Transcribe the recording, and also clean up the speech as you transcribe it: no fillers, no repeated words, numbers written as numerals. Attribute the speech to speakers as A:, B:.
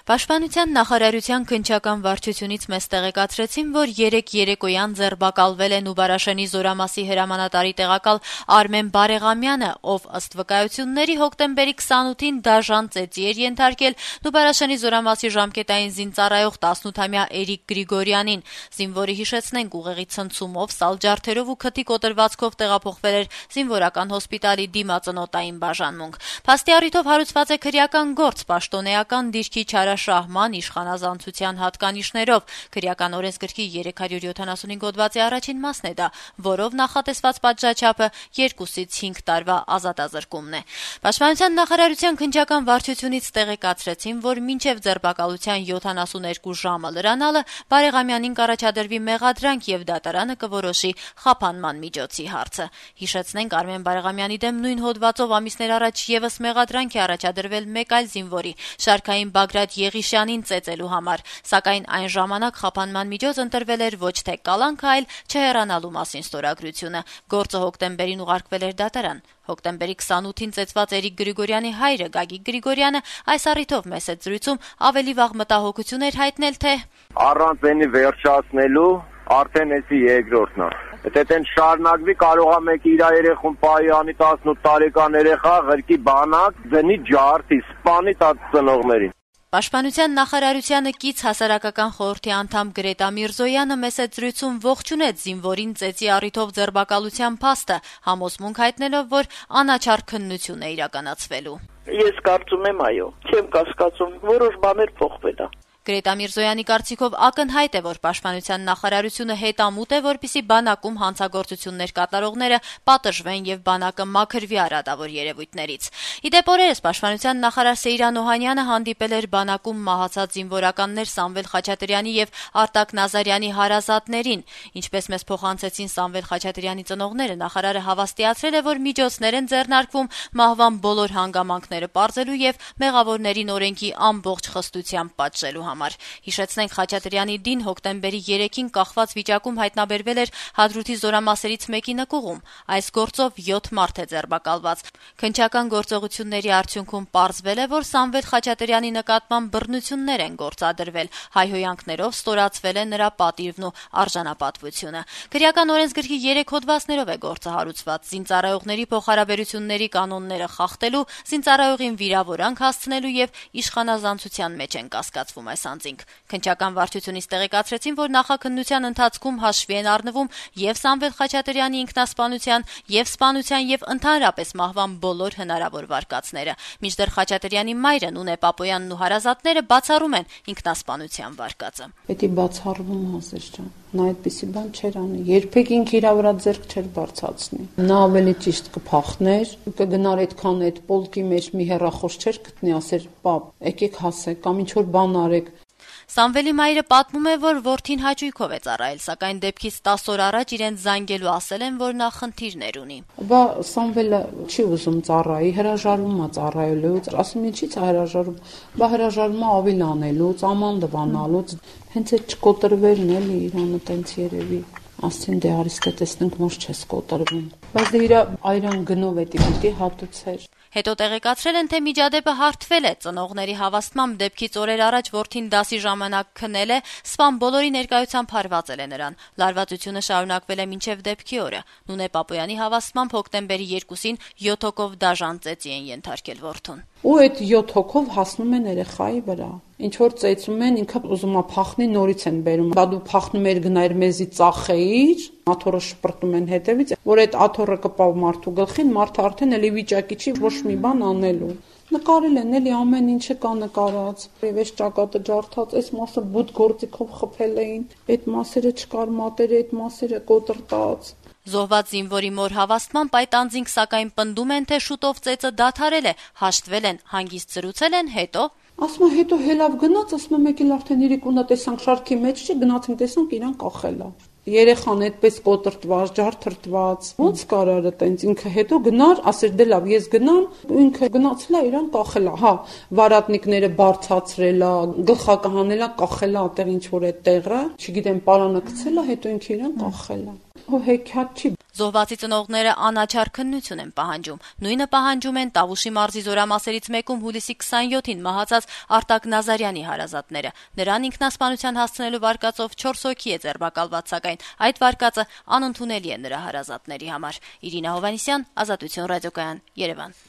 A: Պաշտպանության նախարարության քննչական վարչությունից մեզ տեղեկացրեցին, որ երեկ երեկոյան ձերբակալվել է Նուբարաշենի Զորամասի հրամանատարի տեղակալ Արմեն Բարեղամյանը, ով ըստ վկայությունների հոկտեմբերի 28-ին դաժան ծեծի էր ենթարկել Նուբարաշենի Զորամասի ժամկետային զինծառայող 18-ամյա Էրիկ Գրիգորյանին։ Զինվորի հիշեցնենք ուղեղի ցնցումով, սալջարդերով ու քթի կոտրվածքով տեղափոխվել էր զինվորական հոսպիտալի դիմածնոտային բաժանմունք։ Փաստի առիթով հարուցված է քրեական գործ պաշտոնեական դիրքի չարաշահման, իշխանազանցության հատկանիշներով։ Քրեական օրենսգրքի 375 հոդվածի առաջին մասն է դա, որով նախատեսված պատժաչափը 2-ից 5 տարվա ազատազրկումն է։ Պաշտպանության նախարարության քննչական վարչությունից տեղեկացրեցին, որ մինչև ձերբակալության 72 ժամը լրանալը Բարեղամյանին կառաջադրվի մեղադրանք եւ դատարանը կորոշի խափանման միջոցի հարցը։ Հիշեցնենք, Արմեն Բարեղամյանի դեմ նույն հոդվածով ամիսներ առաջ եւս մեղադրանք է առաջադրվել մեկ այլ զինվորի՝ Շարքային Բագրատ Եղիշյանին ծեծելու համար, սակայն այն ժամանակ խափանման միջոց ընտրվել էր ոչ թե կալանքը, այլ չհեռանալու մասին ստորագրությունը։ Գործը հոկտեմբերին ուղարկվել էր դատարան։ Հոկտեմբերի 28-ին ծեծված Էրիկ Գրիգորյանի հայրը Գագիկ Գրիգորյանը այս առիթով մեծ զրույցում ավելի վաղ մտահոգություն էր հայտնել, թե
B: առանց այնի վերջացնելու արդեն էսի երկրորդն է։ Եթե դեն շարունակվի, կարող է մեկ իր երեխուն պահի անի 18 տարեկան երեխա ղրկի բանակ դնի ջարդի, սպանի տած ծնողներին։
A: Պաշտպանության նախարարությանը կից հասարակական խորհրդի անդամ Գրետա Միրզոյանը մեծ զրույցում ողջունեց զինվորին ծեծի առիթով ձերբակալության փաստը, համոզմունք հայտնելով, որ անաչառ քննություն է իրականացվելու։
C: Ես կարծում եմ, այո, չեմ կասկածում, որոշ բաներ փոխվել է։
A: Գրետա Միրզոյանի կարծիքով ակնհայտ է, որ Պաշտպանության նախարարությունը հետամուտ է, որպեսզի բանակում հանցագործություններ կատարողները պատժվեն եւ բանակը մաքրվի արատավոր երևույթներից։ Իդեպ օրերս Պաշտպանության նախարար Սեյրան Օհանյանը հանդիպել էր բանակում մահացած զինվորականներ Սամվել Խաչատրյանի եւ Արտակ Նազարյանի հարազատներին։ Ինչպես մեզ փոխանցեցին Սամվել Խաչատրյանի ծնողները, նախարարը հավաստիացրել է, որ միջոցներ են ձեռնարկվում մահվան բոլոր հանգամանքները պարզելու եւ մեղավորներին օրենքի ամբողջ խստությամբ պատժելու համար։ Հիշեցնենք, Խաչատրյանի դին հոկտեմբերի 3-ին կախված վիճակում հայտնաբերվել էր Հադրութի զորամասերից մեկի նկուղում։ Այս գործով 7 մարդ է ձերբակալված։ Քննչական գործողությունների արդյունքում պարզվել է, որ Սամվել Խաչատրյանի նկատմամբ բռնություններ են գործադրվել, հայհոյանքներով ստորացվել է նրա պատիվն ու արժանապատվությունը։ Քրեական օրենսգրքի 3 հոդվածներով է գործը հարուցված՝ զինծառայողների փոխհարաբերությունների կանոնները խախտելու, զինծառայողին վիրավորանք հասցնելու եւ իշխանազանցության մեջ են կասկածվում այս անձինք։ Քննչական վարչությունից տեղեկացրեցին, որ նախաքննության ընթացքում հաշվի են առնվում եւ Սամվել Խաչատրյանի ինքնասպանության, եւ սպանության եւ ընդհանրապես մահվան բոլոր հնարավոր վարկածները։ Մինչդեռ Խաչատրյանի մայրը Նունե Պապոյանն ու հարազատները բացառում են ինքնասպանության վարկածը։
D: Պետք է բացառվում Հասեր ջան։ Նա այդպիսի բան չէր անի։ Երբեք ինքը իր վրա ձեռք չէր բարձրացնի։ Նա ավելի ճիշտ կփախներ, կգնար այդքան այդ պոլկի մեջ մի հեռախոս չէր գտնի, ասեր՝ «Պապ, եկեք հասեք կամ ինչ որ բան արեք»։
A: Սամվելի մայրը պատմում է, որ որդին հաճույքով է ծառայել, սակայն դեպքից 10 օր առաջ իրեն զանգելու ասել են, որ նա խնդիրներ ունի։
D: Բա Սամվելը չի ուզում ծառայի, հրաժարվում է ծառայելուց, ասում ինչի՞ց է հրաժարվում։ Բա հրաժարվում է ավիլ անելուց, աման դվանալուց, հենց այդ չկոտրվելն էլի իրանը տենց երևի։ Ասին դե արիստե տեսնենք ոնց չես կոտրվում։ Բայց դե իր այրան գնով էդի պիտի հատուցեր։
A: Հետո տեղեկացրել են, թե միջադեպը հարթվել է։ Ծնողների հավաստմամբ դեպքից օրեր առաջ որդին դասի ժամանակ քնել է, սպան բոլորի ներկայությամբ հարվածել է նրան։ Լարվածությունը շարունակվել է մինչև դեպքի օրը։ Նունե Պապոյանի հավաստմամբ հոկտեմբերի 2-ին 7 հոգով դաժան ծեծի են ենթարկել որդուն։
D: Ու այդ 7 հոգով հասնում են երեխայի վրա։ Ինչ որ ծեծում են, ինքը ուզում է փախնի, նորից են բերում։ Բա դու փախնում ես գնայր մեզի ծախեիր, աթոռը շպրտում են հետևից, որ այդ աթոռը կպավ մարդու գլխին, մարդը արդեն էլի վիճակի չի ոչ մի բան անելու։ Նկարել են էլի ամեն ինչը կա նկարած։ Եվ այս ճակատը ջարդած, այս մասը բութ գործիքով խփել էին, այդ մասերը չկար մատերը, այդ մասերը կոտրտած։
A: Զոհված զինվորի մոր հավաստմամբ այդ անձինք սակայն պնդում են, թե շուտով ծեծը դադարել է, հաշտվել են, հանգիստ զրուցել են, հետո
D: ասում է հետո հելավ գնաց, ասում է մեկ էլ արդեն իրիկունա տեսանք շարքի մեջ չի, գնացինք տեսանք իրան կախել է։ Երեխան այդպես կոտրտված, ջարդրտված, ոնց կարար է տենց ինքը հետո գնար, ասեր դե լավ, ես գնամ, ինքը գնացել է իրան կախել է, հա, վարատնիկները բարձացրել է, գլխակը հանել է, կախել է այդտեղ ինչ որ այդ տեղը, չգիտեմ, պարանը գցել է, հետո ինքը իրան կախել է։ ու հեքիաթ չի։
A: Զոհվածի ծնողները անաչառ քննություն են պահանջում։ Նույնը պահանջում են Տավուշի մարզի զորամասերից մեկում հուլիսի 27-ին մահացած Արտակ Նազարյանի հարազատները։ Նրան ինքնասպանության հասցնելու վարկածով 4 հոգի է ձերբակալված, սակայն այդ վարկածը անընդունելի է նրա հարազատների համար։ Իրինա Հովհաննիսյան, Ազատություն ռադիոկայան, Երևան։